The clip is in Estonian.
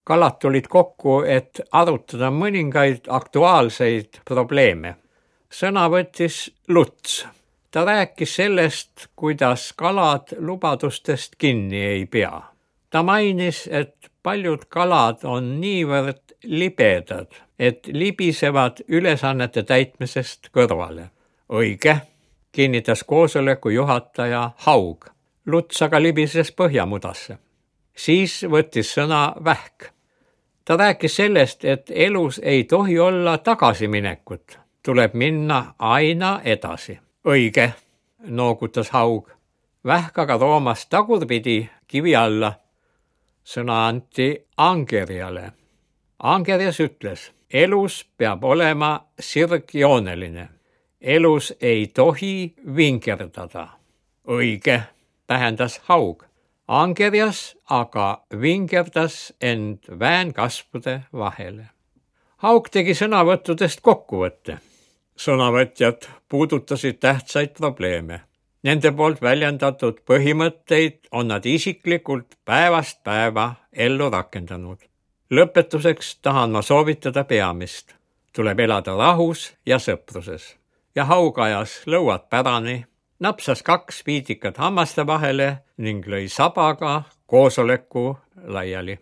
Kalad tulid kokku, et arutada mõningaid aktuaalseid probleeme. Sõna võttis Luts. Ta rääkis sellest, kuidas kalad lubadustest kinni ei pea. Ta mainis, et paljud kalad on niivõrd libedad, et libisevad ülesannete täitmisest kõrvale. Õige, kinnitas koosoleku juhataja Haug. Luts aga libises põhjamudasse. Siis võttis sõna Vähk. Ta rääkis sellest, et elus ei tohi olla tagasiminekut. Tuleb minna aina edasi. Õige, noogutas Haug. Vähk aga roomas tagurpidi kivi alla. Sõna anti Angerjale. Angerjas ütles, elus peab olema sirgjooneline. Elus ei tohi vingerdada. Õige, tähendas Haug. Angerjas aga vingerdas end väänkasvude vahele. Haug tegi sõnavõttudest kokkuvõtte. Sõnavõtjad puudutasid tähtsaid probleeme. Nende poolt väljendatud põhimõtteid on nad isiklikult päevast päeva ellu rakendanud. Lõpetuseks tahan ma soovitada peamist. Tuleb elada rahus ja sõpruses. Ja Haug ajas lõuad pärani, napsas 2 piitikat hammaste vahele ning lõi sabaga koosoleku laiali.